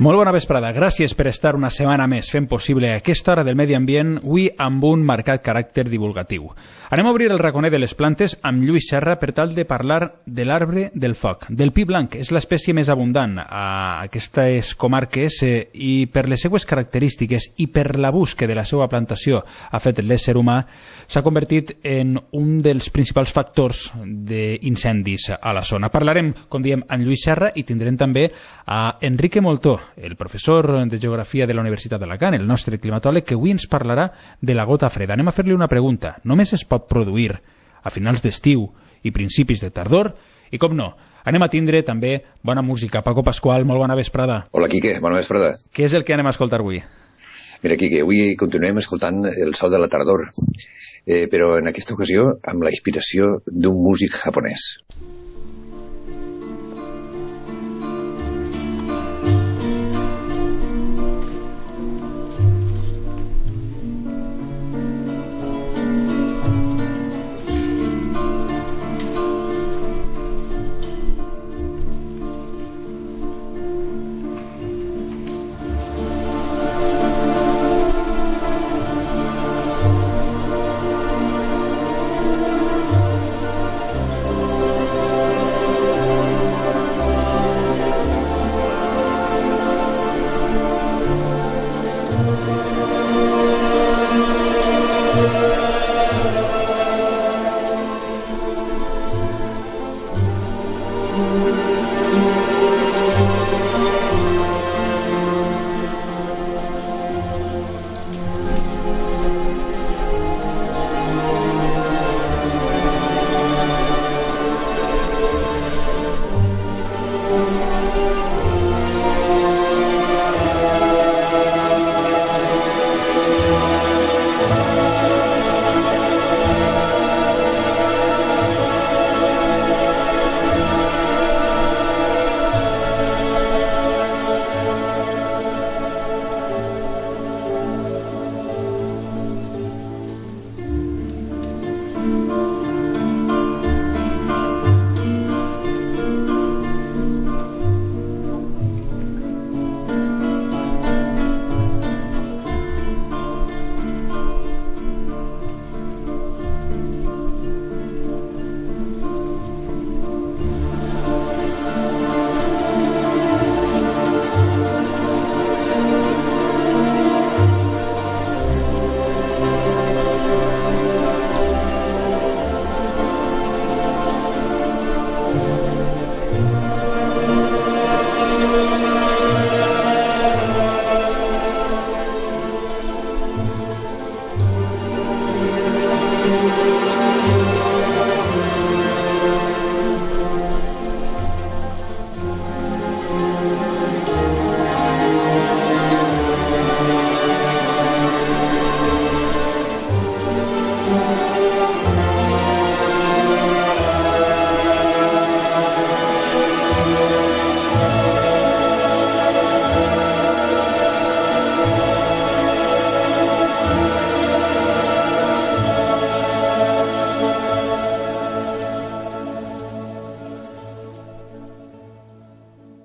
Molt bona vesprada. Gràcies per estar una setmana més fent possible aquesta hora del medi ambient, avui amb un marcat caràcter divulgatiu. Anem a obrir el raconer de les plantes amb Lluís Serra per tal de parlar de l'arbre del foc, del pi blanc. És l'espècie més abundant a aquestes comarques i per les seues característiques i per l'abús que de la seva plantació ha fet l'ésser humà, s'ha convertit en un dels principals factors d'incendis a la zona. Parlarem, com diem, amb Lluís Serra i tindrem també a Enrique Moltó, el professor de Geografia de la Universitat d'Alacant, el nostre climatòleg, que avui ens parlarà de la gota freda. Anem a fer-li una pregunta. Només es pot produir a finals d'estiu i principis de tardor? I com no, anem a tindre també bona música. Paco Pasqual, molt bona vesprada. Hola, Quique, bona vesprada. Què és el que anem a escoltar avui? Mira, Quique, avui continuem escoltant el so de la tardor, però en aquesta ocasió amb la inspiració d'un músic japonès.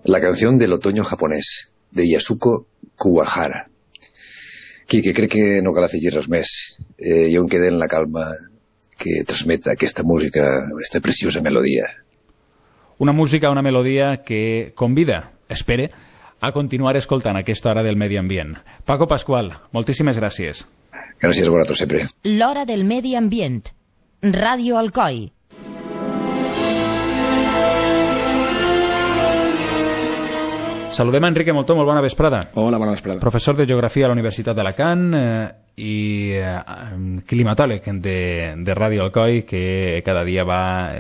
La canción del otoño japonès, de Yasuko Kuwahara. Quique, crec que no cal afegir res més. Jo em quedé en la calma que transmet aquesta música, aquesta preciosa melodia. Una música, una melodia que convida, espere, a continuar escoltant aquesta hora del medi ambient. Paco Pasqual, moltíssimes gràcies. Gràcies a vosaltres sempre. L'hora del medi ambient. Ràdio Alcoi. Saludem a Enrique Moltó, molt bona vesprada. Hola, bona vesprada. Professor de Geografia a la Universitat d'Alacant i climatòleg de Ràdio Alcoi, que cada dia va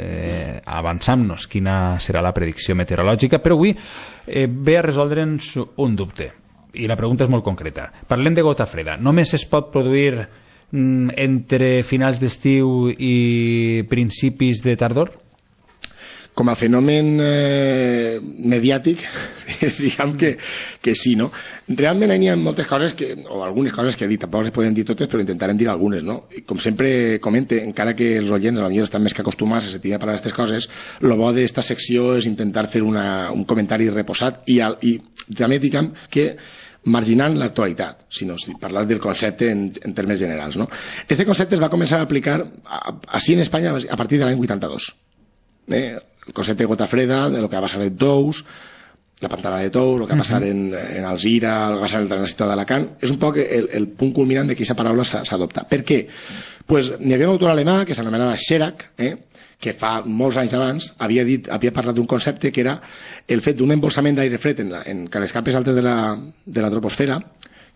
avançant-nos quina serà la predicció meteorològica, però avui ve a resoldre'ns un dubte, i la pregunta és molt concreta. Parlem de gota freda. Només es pot produir entre finals d'estiu i principis de tardor? com a fenomen mediàtic, diguem que sí, no? Realment hi ha moltes coses, o algunes coses que he dit, tampoc les podem dir totes, però intentarem dir algunes, no? I com sempre comente, encara que els oients potser estan més que acostumats a sentir parlar d'aquestes coses, el bo d'esta secció és intentar fer un comentari reposat i també diguem que marginant l'actualitat, sinó parlar del concepte en termes generals, no? Este concepte es va començar a aplicar així en Espanya a partir de l'any 82. El concepte de gota freda, de lo que va passar en Tous, la pantana de Tous, el que va passar en Alzira, el que va passar en la ciutat d'Alacant, és un poc el punt culminant de que aquesta paraula s'adopta. Per què? Pues n'hi havia un autor alemà que s'anomenava Scherak, que fa molts anys abans havia parlat d'un concepte que era el fet d'un embolsament d'aire fred en les capes altes de la troposfera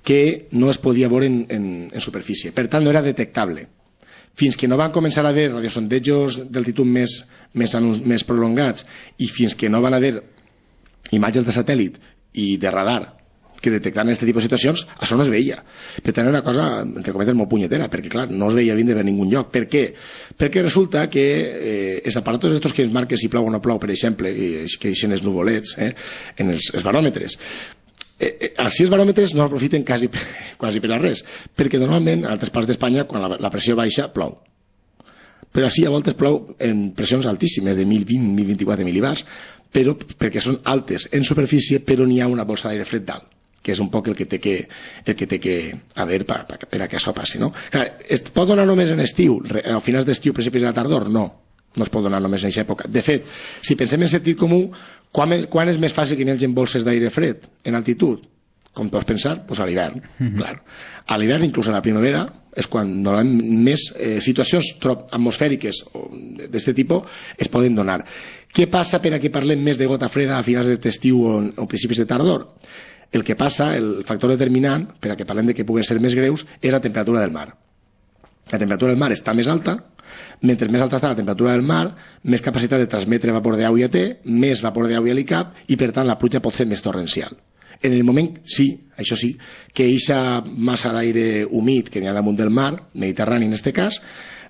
que no es podia veure en superfície. Per tant, no era detectable. Fins que no van començar a haver radiosondejos d'altitud més prolongats i fins que no van haver imatges de satèl·lit i de radar que detectaven aquest tipus de situacions, això no es veia. Per tant, era una cosa, entre cometes, molt punyetera, perquè, clar, no es veia vindre per ningun lloc. Per què? Perquè resulta que els aparatos estos que ens marquen si plou o no plou, per exemple, que deixen els nuvolets en els baròmetres, així els baròmetres no aprofiten quasi per a res, perquè normalment a altres parts d'Espanya quan la pressió baixa plou, però així a voltes plou en pressions altíssimes de 1020-1024 mil·libars, però perquè són altes en superfície, però n'hi ha una bolsa d'aire fred dalt, que és un poc el que té que haver per a que això passi, no? Clar, es pot donar només en estiu, a finals d'estiu, principis de la tardor? No es pot donar només en aquesta època. De fet, si pensem en sentit comú, quan és més fàcil que n'hi hagi bolses d'aire fred en altitud? Com pots pensar? Doncs a l'hivern, clar. A l'hivern, inclús a la primavera, és quan més situacions atmosfèriques d'aquest tipus es poden donar. Què passa per a que parlem més de gota freda a finals d'estiu o principis de tardor? El que passa, el factor determinant per a que parlem de que puguen ser més greus, és la temperatura del mar. La temperatura del mar està més alta, mentre més alta està la temperatura del mar, més capacitat de transmetre vapor d'aigua té, més vapor d'aigua li cap, i per tant la pluja pot ser més torrencial. En el moment, sí, això sí, que eixa massa d'aire humit que n'hi ha damunt del mar, Mediterrani en aquest cas,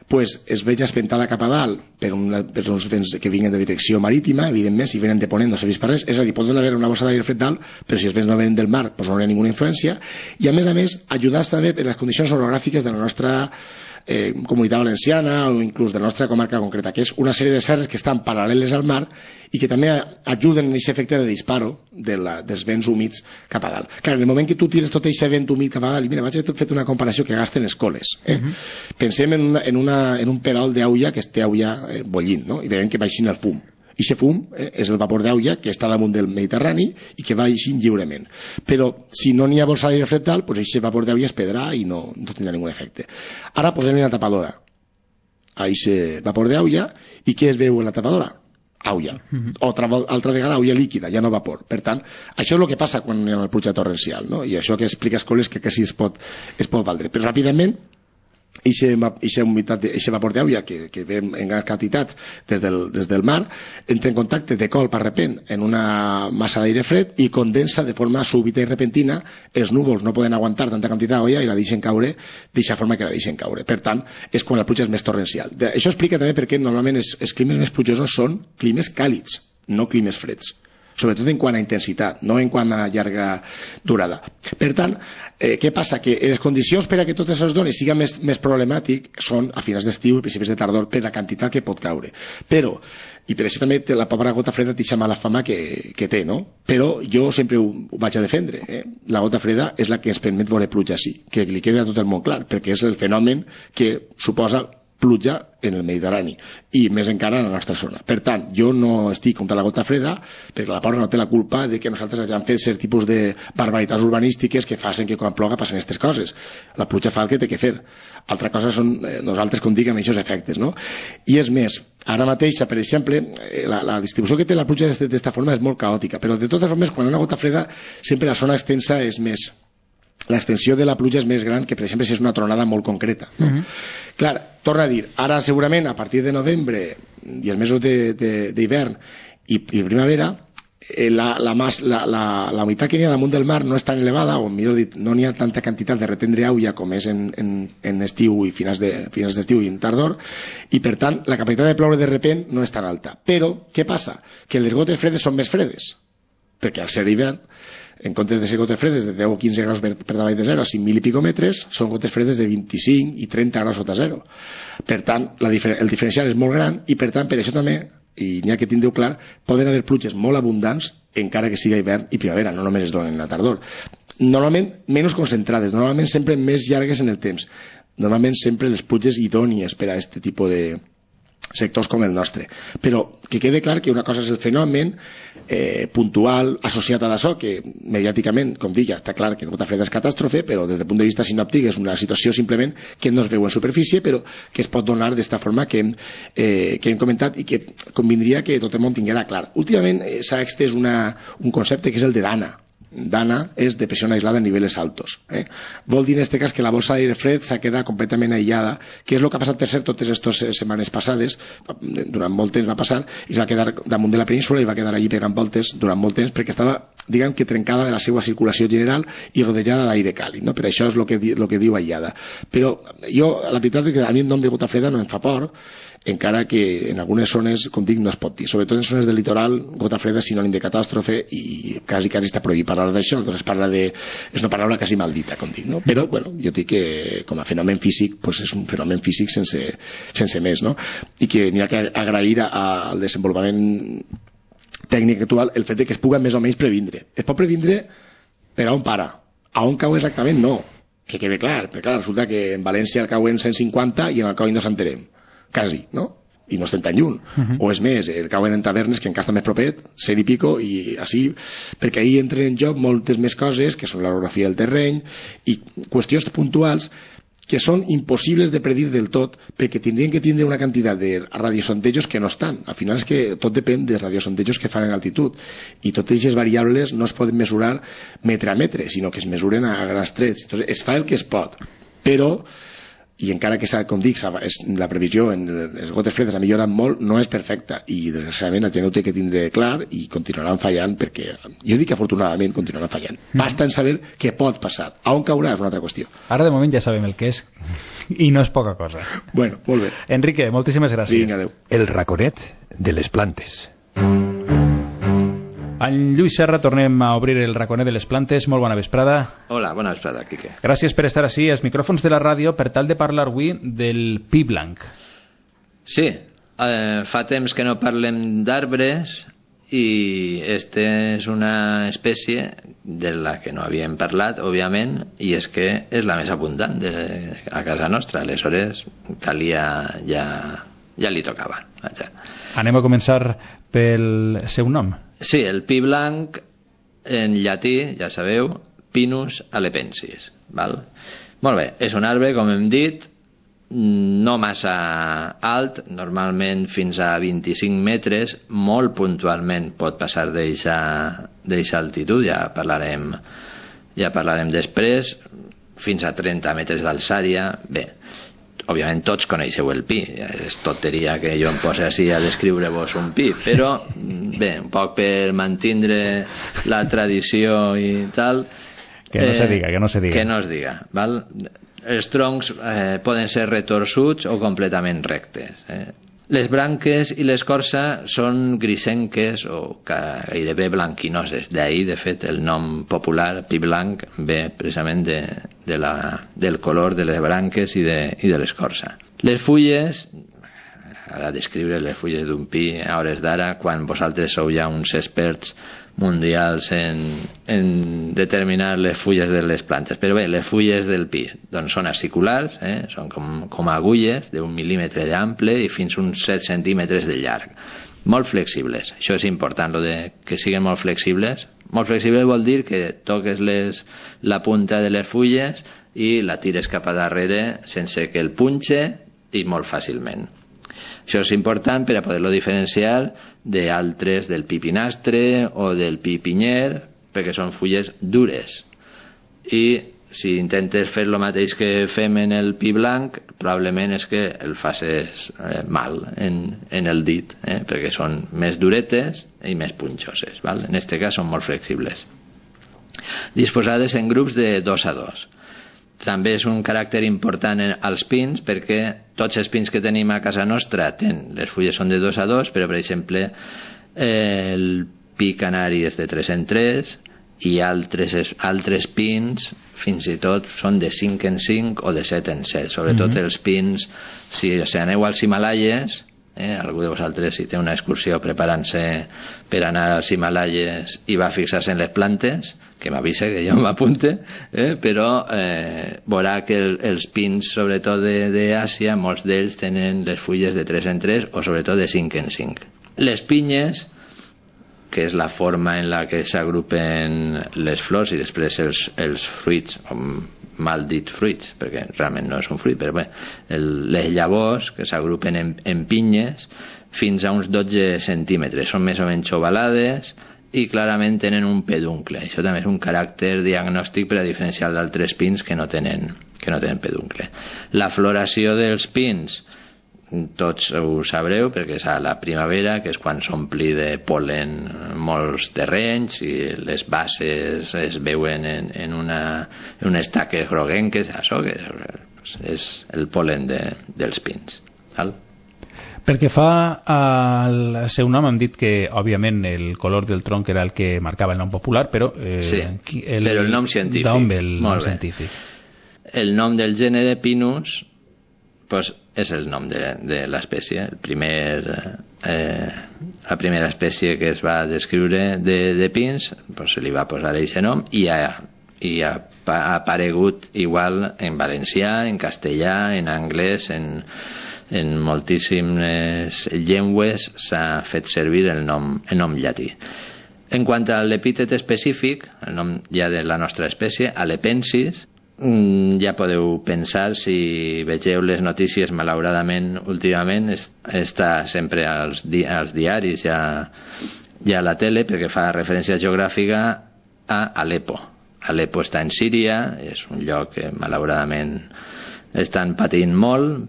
pues es veig espentada cap a dalt per uns vents que vinguen de direcció marítima, evidentment, si venen de ponent no serveix per res, és a dir, pot haver una bossa d'aire fred dalt, però si els vents no venen del mar, pues no hi ha ninguna influència, i a més, ajudar també per les condicions orogràfiques de la nostra comunitat valenciana o inclús de la nostra comarca concreta, que és una sèrie de serres que estan paral·leles al mar i que també ajuden en aquest efecte de disparo dels vents humits cap a dalt. Clar, en el moment que tu tires tot aquest vent humit cap a dalt, i mira, vaig a fer una comparació que gasten escoles. Pensem en un perol d'aigua que té aigua bollint, no? I veiem que baixin el fum. I aquest fum és el vapor d'aigua que està damunt del Mediterrani i que va eixint lliurement. Però si no n'hi ha bolsa d'aire fred dalt, doncs aquest vapor d'aigua es perdrà i no tindrà ningun efecte. Ara posem una tapadora a aquest vapor d'aigua i què es veu en la tapadora? Aigua. Altra vegada aigua líquida, ja no vapor. Per tant, això és el que passa quan hi ha una pluja torrencial, no? I això que explica Escoles que sí es pot valdre. Però ràpidament aquest vapor d'aigua que ve en grans quantitats des del mar entra en contacte de colp a repent en una massa d'aire fred i condensa de forma súbita i repentina. Els núvols no poden aguantar tanta quantitat d'aigua i la deixen caure d'aquesta forma que la deixen caure. Per tant, és quan la pluja és més torrencial. Això explica també perquè normalment els climes més plujosos són climes càlids, no climes freds, sobretot en quant a intensitat, no en quant a llarga durada. Per tant, què passa? Que les condicions per a que tot això es doni siga més problemàtic són a finals d'estiu i principis de tardor per la quantitat que pot caure. Però, i per això també la pobra gota freda té mala fama que té, no? Però jo sempre ho vaig a defendre. La gota freda és la que ens permet veure pluja així, que li queda a tot el món clar, perquè és el fenomen que suposa pluja en el Mediterrani i més encara en la nostra zona. Per tant, jo no estic contra la gota freda perquè la pobra no té la culpa de que nosaltres hagin fet cert tipus de barbaritats urbanístiques que facin que quan ploga passen aquestes coses. La pluja fa el que té que fer. Altra cosa són nosaltres com diguem aquests efectes, no? I és més, ara mateix, per exemple, la distribució que té la pluja d'esta forma és molt caòtica, però de totes formes, quan hi ha una gota freda sempre la zona extensa és més, l'extensió de la pluja és més gran que, per exemple, si és una tronada molt concreta, no? Clar, torna a dir, ara segurament a partir de novembre i els mesos d'hivern i primavera la humitat que n'hi ha damunt del mar no és tan elevada, o millor dit, no n'hi ha tanta quantitat de retendre aigua com és en estiu i finals d'estiu i en tardor, i per tant la capacitat de ploure de repent no és tan alta. Però què passa? Que les gotes fredes són més fredes, perquè al ser hivern, en comptes de ser gotes fredes de 10 o 15 graus per davall de zero a 5.000 i pico metres, són gotes fredes de 25 i 30 graus sota zero. Per tant, el diferencial és molt gran, i per tant, per això també, i n'hi ha que tindreu clar, poden haver pluges molt abundants encara que sigui hivern i primavera, no només es donen a tardor. Normalment menys concentrades, normalment sempre més llargues en el temps, normalment sempre les pluges idònies per a aquest tipus de sectors com el nostre. Però que quede clar que una cosa és el fenomen puntual associat a l'açò, que mediàticament, com dic, ja està clar que gota freda és catàstrofe, però des del punt de vista sinòptic és una situació simplement que no es veu en superfície, però que es pot donar d'esta forma que hem comentat i que convindria que tot el món tinguera clar. Últimament s'ha extès un concepte que és el de DANA. DANA és depressió aislada a nivells altos. Vol dir en aquest cas que la bolsa d'aire fred s'ha quedat completament aïllada, que és el que ha passat per cert totes aquestes setmanes passades, durant molt temps va passar, i es va quedar damunt de la península i va quedar allí pegant voltes durant molt temps perquè estava, diguem que trencada de la seva circulació general i rodejada d'aire càlid, no? Per això és el que diu aïllada. Però jo, la veritat és que a mi el nom de gota freda no em fa por, encara que en algunes zones, com dic, no es pot dir. Sobretot en zones del litoral, gota freda és sinònim de catàstrofe i quasi està prohibit parlar d'això, doncs és una paraula quasi maldita, com dic, no? Però, bueno, jo dic que com a fenomen físic, pues és un fenomen físic sense més, no? I que n'hi ha que agrair al desenvolupament tècnic actual el fet de que es pugui més o menys previndre. Es pot previndre per a on para. A on cau exactament, no. Que quede clar, perquè clar, resulta que en València el cauen 150 i en el cau no s'enterem. Quasi, no? I no estem tan lluny. O és més, el cauen en tavernes que encara està més propet, 100 i pico, i així, perquè ahí entren en joc moltes més coses, que són l'orografia del terreny, i qüestions puntuals que són impossibles de predir del tot, perquè tindrien que tindre una quantitat de radiosondejos que no estan. Al final és que tot depèn dels radiosondejos que fan en altitud, i totes aquestes variables no es poden mesurar metre a metre, sinó que es mesuren a grans trets. Entonces, es fa el que es pot, però i encara que, com dic, la previsió en les gotes fredes ha millorat molt, no és perfecta, i desgraciadament la gent ho té que tindre clar i continuaran fallant, perquè jo dic que afortunadament continuaran fallant. Basta en saber què pot passar. A on caurà és una altra qüestió. Ara de moment ja sabem el que és i no és poca cosa. Bueno, molt bé. Enrique, moltíssimes gràcies. Vinga, adéu. El raconet de les plantes. En Lluís Serra tornem a obrir el raconet de les plantes. Molt bona vesprada. Hola, bona vesprada, Quique. Gràcies per estar així als micròfons de la ràdio per tal de parlar avui del pi blanc. Sí, fa temps que no parlem d'arbres i este és una espècie de la que no havíem parlat, òbviament, i és que és la més abundant a casa nostra. Aleshores, calia ja li tocava. Vaja. Anem a començar pel seu nom. Sí, el pi blanc, en llatí, ja sabeu, Pinus alepensis. Val? Molt bé, és un arbre, com hem dit, no massa alt, normalment fins a 25 metres, molt puntualment pot passar d'eixa altitud, ja parlarem després, fins a 30 metres d'alçària. Bé, òbviament tots coneixeu el pi, és tonteria que jo em posi així a descriure-vos un pi, però bé, un poc per mantindre la tradició i tal, que no se diga que no es diga, val? Els troncs poden ser retorçuts o completament rectes. Les branques i l'escorça són grisenques o gairebé blanquinoses. D'ahir, de fet, el nom popular, pi blanc, ve precisament del color de les branques i de l'escorça. Les fulles, ara descriure les fulles d'un pi a hores d'ara, quan vosaltres sou ja uns experts mundials en determinar les fulles de les plantes. Però bé, les fulles del pi doncs són aciculars, són com agulles d'1 mil·límetre d'ample i fins uns 7 centímetres de llarg. Molt flexibles. Això és important, lo de que siguin molt flexibles. Molt flexible vol dir que toques la punta de les fulles i la tires cap a darrere sense que el punxe i molt fàcilment. Això és important per a poder-lo diferenciar d'altres, del pi pinastre o del pi pinyer, perquè són fulles dures. I si intentes fer el mateix que fem en el pi blanc, probablement és que el facis mal en el dit, perquè són més duretes i més punxoses, val? En aquest cas són molt flexibles. Disposades en grups de 2 a 2. També és un caràcter important als pins, perquè tots els pins que tenim a casa nostra les fulles són de 2 a 2, però per exemple el pi canari és de 3 en 3 i altres pins fins i tot són de 5 en 5 o de 7 en 7, sobretot els pins, si aneu als Himalaies, algú de vosaltres si té una excursió preparant-se per anar als Himalaies i va fixar-se en les plantes, que m'avisa que jo m'apunte, però veurà que els pins sobretot d'Àsia, molts d'ells tenen les fulles de 3 en 3 o sobretot de 5 en 5. Les pinyes, que és la forma en la que s'agrupen les flors i després els fruits, o mal dit fruits, perquè realment no és un fruit, però bé, les llavors que s'agrupen en pinyes fins a uns 12 centímetres, són més o menys ovalades i clarament tenen un peduncle. Això també és un caràcter diagnòstic per a diferenciar d'altres pins que no tenen peduncle. La floració dels pins, tots ho sabreu perquè és a la primavera, que és quan s'ompli de pol·len molts terrenys i les bases es veuen en unes taques groguenques. Això que és el pol·len dels pins, val? Perquè fa el seu nom, hem dit que òbviament el color del tronc era el que marcava el nom popular, però sí, però el nom científic, d'on ve el nom científic? El nom del gènere Pinus pues és el nom de l'espècie. La primera espècie que es va descriure de pins, pues se li va posar aquest nom i ha aparegut igual en valencià, en castellà, en anglès, en moltíssimes llengües s'ha fet servir el nom llatí. En quant a l'epítet específic, el nom ja de la nostra espècie, Alepensis, ja podeu pensar, si vegeu les notícies, malauradament últimament està sempre als diaris i a la tele, perquè fa referència geogràfica a Alepo. Alepo està en Síria, és un lloc que malauradament estan patint molt,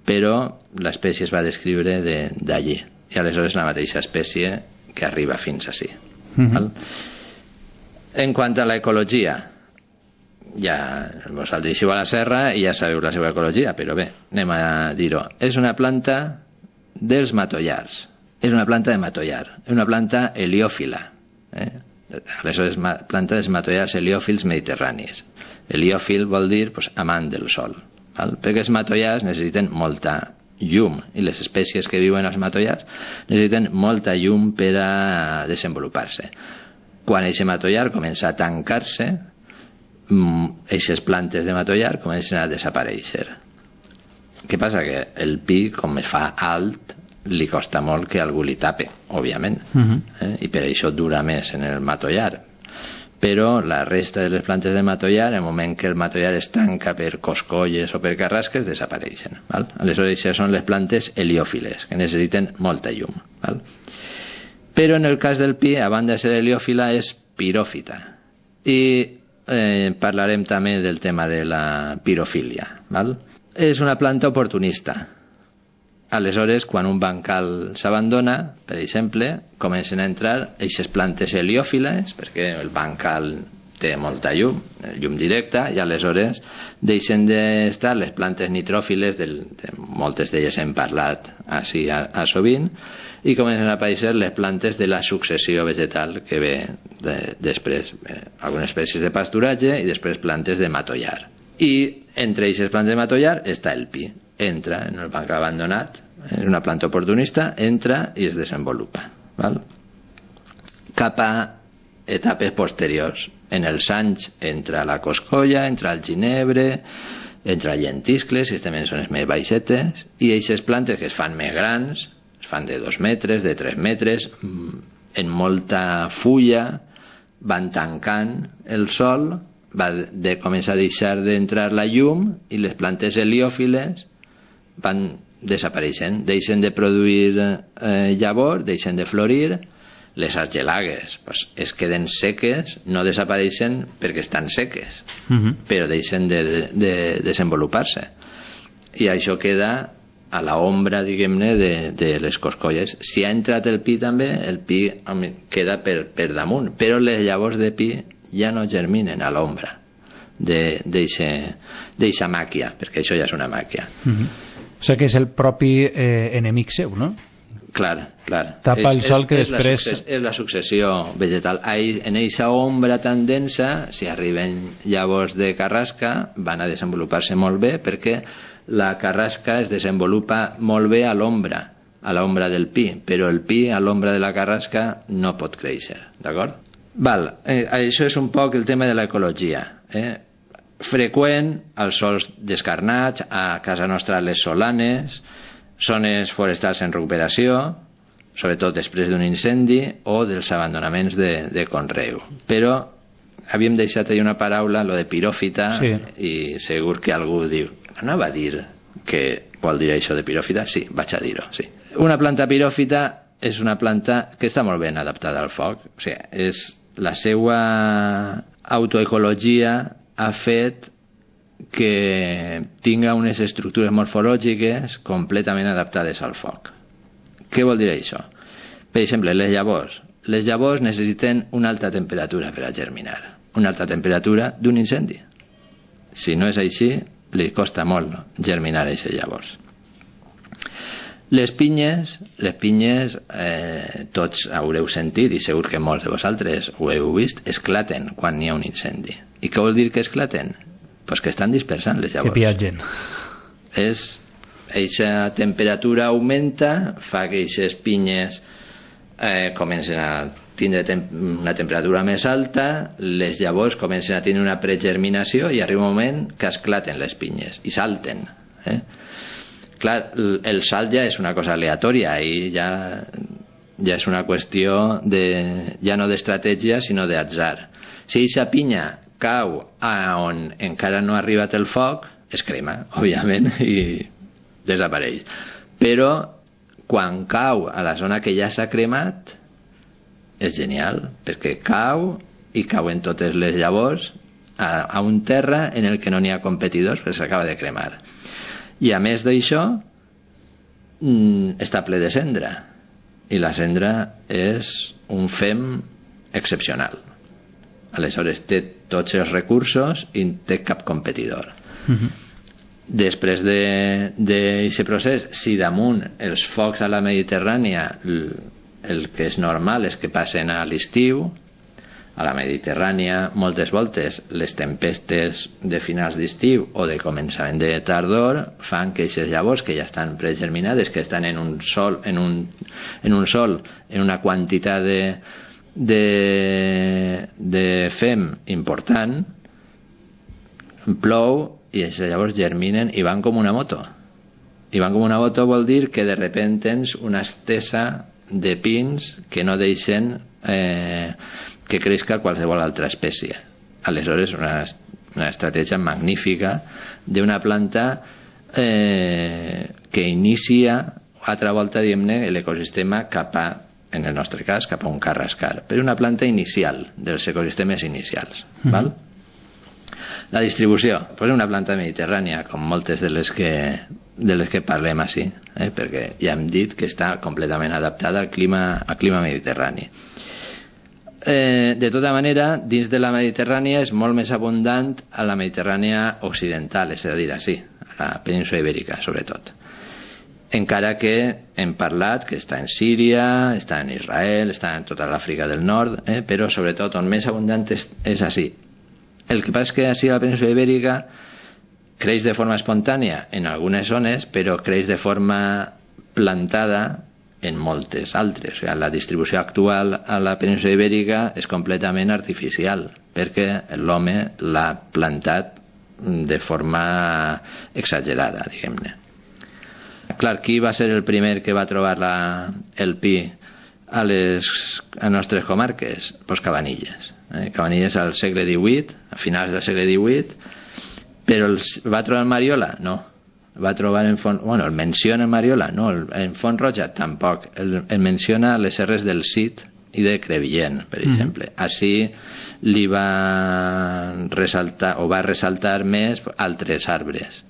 però l'espècie es va descriure d'allí, i aleshores la mateixa espècie que arriba fins ací. En quant a l'ecologia, ja vosaltres hi a la serra i ja sabeu la seva ecologia, però bé, anem a dir-ho. És una planta dels matollars, és una planta de matollar, és una planta heliòfila, aleshores planta dels matollars heliòfils mediterranis. Heliòfil vol dir amant del sol, val? Perquè els matollars necessiten molta llum i les espècies que viuen als matollars necessiten molta llum per a desenvolupar-se. Quan aquest matollar comença a tancar-se, aquestes plantes de matollar comencen a desaparèixer. Què passa? Que el pi, com es fa alt, li costa molt que algú li tape, òbviament, i per això dura més en el matollar. Però la resta de les plantes de matollar, en el moment que el matollar es tanca per coscolles o per carrasques, desapareixen, val? Aleshores, això són les plantes heliòfiles, que necessiten molta llum, val? Però en el cas del pi, a banda de ser heliòfila, és piròfita. I parlarem també del tema de la pirofília, val? És una planta oportunista. Aleshores, quan un bancal s'abandona, per exemple, comencen a entrar aquestes plantes heliòfiles, perquè el bancal té molta llum directa, i aleshores deixen d'estar les plantes nitròfiles, moltes d'elles hem parlat així a sovint, i comencen a aparèixer les plantes de la successió vegetal que ve després, algunes espècies de pasturatge i després plantes de matollar. I entre aquestes plantes de matollar està el pi. Entra en el banc abandonat, és una planta oportunista, entra i es desenvolupa, val? Cap a etapes posteriors. En els anys entra la coscolla, entra el ginebre, entra el llentiscles, que també són les més baixetes, i aquestes plantes que es fan més grans, es fan de 2 metres, de 3 metres, en molta fulla, van tancant el sol, va començar a deixar d'entrar la llum i les plantes heliòfiles van desapareixent, deixen de produir llavor, deixen de florir, Les argelagues es queden seques, no desapareixen perquè estan seques, però deixen de desenvolupar-se. I això queda a la ombra, diguem-ne, de les coscolles. Si ha entrat el pi també, el pi queda per damunt, però les llavors de pi ja no germinen a l'ombra d'eixa màquia, perquè això ja és una màquia. O sigui que és el propi enemic seu, no? Clar. Tapa el sol que després... És la successió vegetal. En eixa ombra tan densa, si arriben llavors de carrasca, van a desenvolupar-se molt bé, perquè la carrasca es desenvolupa molt bé a l'ombra del pi, però el pi a l'ombra de la carrasca no pot créixer, d'acord? Això és un poc el tema de l'ecologia. Freqüent als sols descarnats, a casa nostra les solanes, zones forestals en recuperació, sobretot després d'un incendi o dels abandonaments de conreu. Però havíem deixat ahir una paraula, lo de piròfita, sí. I segur que algú diu, no anava a dir què vol dir això de piròfita? Sí, vaig a dir-ho, sí. Una planta piròfita és una planta que està molt ben adaptada al foc. O sigui, la seva autoecologia ha fet que tinga unes estructures morfològiques completament adaptades al foc. Què vol dir això? Per exemple, les llavors. Les llavors necessiten una alta temperatura per a germinar, una alta temperatura d'un incendi. Si no és així, li costa molt germinar aquestes llavors. Les pinyes, tots haureu sentit, i segur que molts de vosaltres ho heu vist, esclaten quan hi ha un incendi. I què vol dir que esclaten? Pues que estan dispersant les llavors. Que piatgen. Eixa temperatura augmenta, fa que aquestes pinyes comencen a tindre una temperatura més alta, les llavors comencen a tenir una pregerminació i arriba un moment que esclaten les pinyes i salten. Clar, el salt ja és una cosa aleatòria i ja és una qüestió ja no d'estratègia sinó d'atzar. Si aquesta pinya cau on encara no ha arribat el foc, es crema, òbviament, i desapareix. Però quan cau a la zona que ja s'ha cremat, és genial, perquè cau i cauen totes les llavors a un terra en el que no n'hi ha competidors, perquè s'acaba de cremar. I a més d'això, està ple de cendra, i la cendra és un fem excepcional. Aleshores té tots els recursos i no té cap competidor. Després d'aquest procés, si damunt els focs a la Mediterrània el que és normal és que passen a l'estiu, a la Mediterrània moltes voltes les tempestes de finals d'estiu o de començament de tardor fan que aquestes llavors que ja estan pregerminades, que estan en un sol, en una quantitat de fem important, plou i llavors germinen i van com una moto. I van com una moto vol dir que de repente tens una estesa de pins que no deixen que creixca qualsevol altra espècie. Aleshores una estratègia magnífica d'una planta que inicia altra volta, diguem-ne, l'ecosistema cap a, en el nostre cas, cap a un carrascar, però una planta inicial dels ecosistemes inicials. Val? La distribució, pues una planta mediterrània, com moltes de les que parlem així, perquè ja hem dit que està completament adaptada al clima mediterrani. De tota manera, dins de la Mediterrània és molt més abundant a la Mediterrània occidental, és a dir, així, a la península ibèrica, sobretot. Encara que hem parlat que està en Síria, està en Israel, està en tota l'Àfrica del Nord, però sobretot on més abundant és així. El que passa és que així a la península ibèrica creix de forma espontània en algunes zones, però creix de forma plantada en moltes altres. O sigui, la distribució actual a la península ibèrica és completament artificial, perquè l'home l'ha plantat de forma exagerada, diguem-ne. Clar, qui va ser el primer que va trobar el pi a les nostres comarques? Pues Cabanilles. Cabanilles al segle XVIII, a finals del segle XVIII, però va trobar en Mariola? No. Va trobar en Font... Bueno, el menciona en Mariola? No. En Font Roja? Tampoc. El menciona a les serres del Cid, i de Crevillent, per exemple. Així li va ressaltar més altres arbres.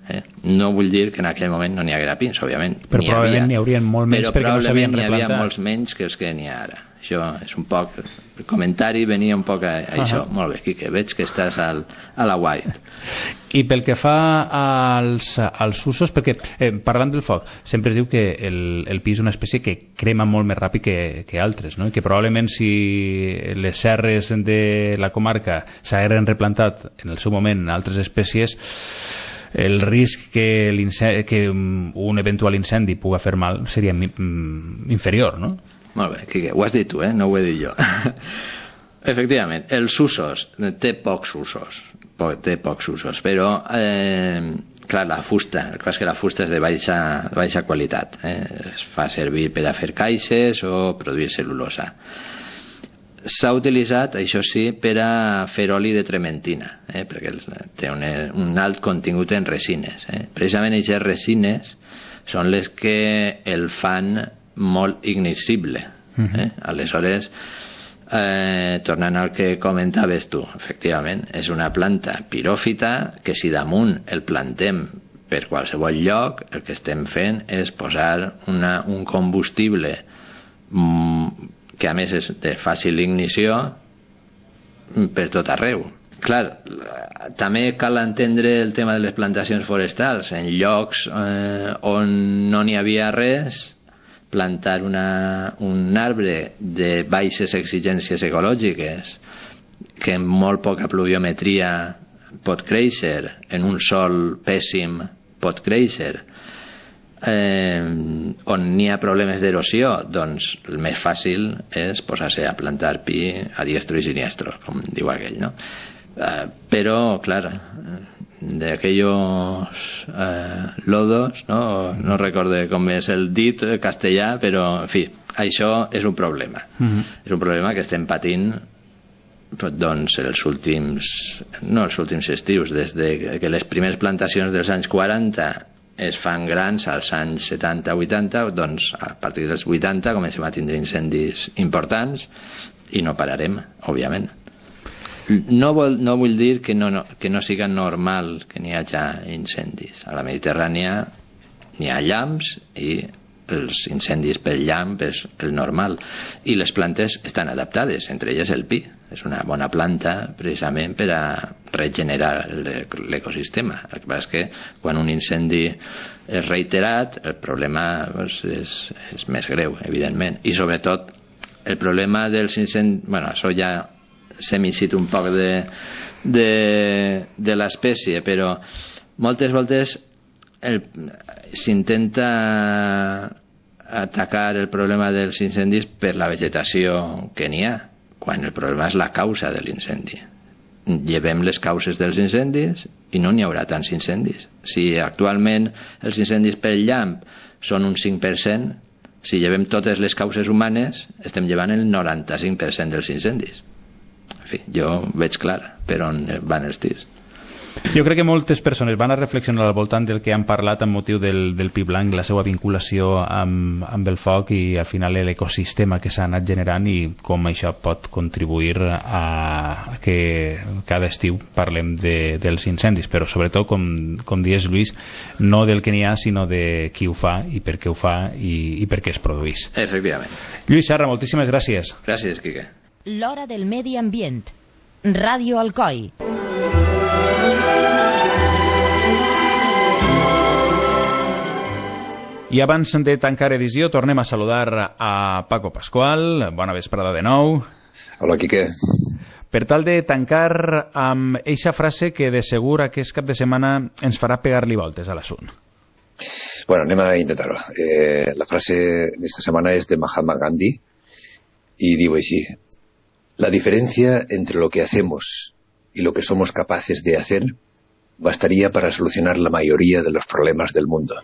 No vull dir que en aquell moment no n'hi haguera pins, òbviament. Però probablement n'hi haurien molt menys perquè no s'havien replantat. Però probablement n'hi havia molts menys que els que n'hi ha ara. Això és un poc... El comentari venia un poc a això. Molt bé, Quique, veig que estàs a la white. I pel que fa als usos, perquè parlant del foc, sempre es diu que el pi és una espècie que crema molt més ràpid que altres, no? I que probablement si les serres de la comarca s'hagueren replantat en el seu moment altres espècies, el risc que un eventual incendi pugui fer mal seria inferior, no? Molt bé, Quique, ho has dit tu, no ho he dit jo. Efectivament, els usos, té pocs usos, però clar, la fusta, el cas que la fusta és de baixa qualitat, es fa servir per a fer caixes o produir cel·lulosa. S'ha utilitzat, això sí, per a fer oli de trementina, perquè té un alt contingut en resines. Precisament aquestes resines són les que el fan molt ignissible. Aleshores, tornant al que comentaves tu, efectivament, és una planta piròfita que si damunt el plantem per qualsevol lloc, el que estem fent és posar un combustible que a més és de fàcil ignició per tot arreu. Clar, també cal entendre el tema de les plantacions forestals. En llocs on no n'hi havia res, plantar un arbre de baixes exigències ecològiques que amb molt poca pluviometria pot créixer, en un sòl pèssim pot créixer, on n'hi ha problemes d'erosió, doncs el més fàcil és posar-se a plantar pi a diestro i siniestro, com diu aquell, no? Però, clar, de aquellos lodos, no recordo com és el dit castellà, però en fi, això és un problema. És un problema que estem patint doncs els últims estius, des de que les primeres plantacions dels anys 40 es fan grans als anys 70-80, doncs a partir dels 80 comencem a tindre incendis importants i no pararem, òbviament. No vull dir que no siga normal que n'hi hagi incendis. A la Mediterrània n'hi ha llamps i els incendis per llamp és el normal. I les plantes estan adaptades, entre elles el pi. És una bona planta precisament per a regenerar l'ecosistema. El que passa és que quan un incendi és reiterat, el problema és més greu, evidentment. I sobretot el problema dels incendis... Bueno, això ja s'ha un poc de l'espècie, però moltes voltes s'intenta atacar el problema dels incendis per la vegetació que n'hi ha, quan el problema és la causa de l'incendi. Llevem les causes dels incendis i no n'hi haurà tants incendis. Si actualment els incendis per llamp són un 5%, si llevem totes les causes humanes estem llevant el 95% dels incendis. En fi, jo veig clar per on van els tirs. Jo crec que moltes persones van a reflexionar al voltant del que han parlat amb motiu del pi blanc, la seva vinculació amb el foc i al final l'ecosistema que s'ha anat generant i com això pot contribuir a que cada estiu parlem dels incendis, però sobretot, com dius, Lluís, no del que n'hi ha, sinó de qui ho fa i per què ho fa i per què es produeix. Efectivament. Lluís Serra, moltíssimes gràcies. Gràcies, Quique. L'hora del medi ambient. Ràdio Alcoi. I abans de tancar edició tornem a saludar a Paco Pascual. Bona vesprada de nou. Hola, Quique. Per tal de tancar amb eixa frase que de segur aquest cap de setmana ens farà pegar-li voltes a l'assunt. Bueno, anem a intentar-ho. La frase d'esta setmana és de Mahatma Gandhi y digo así: la diferencia entre lo que hacemos y lo que somos capaces de hacer bastaría para solucionar la mayoría de los problemas del mundo.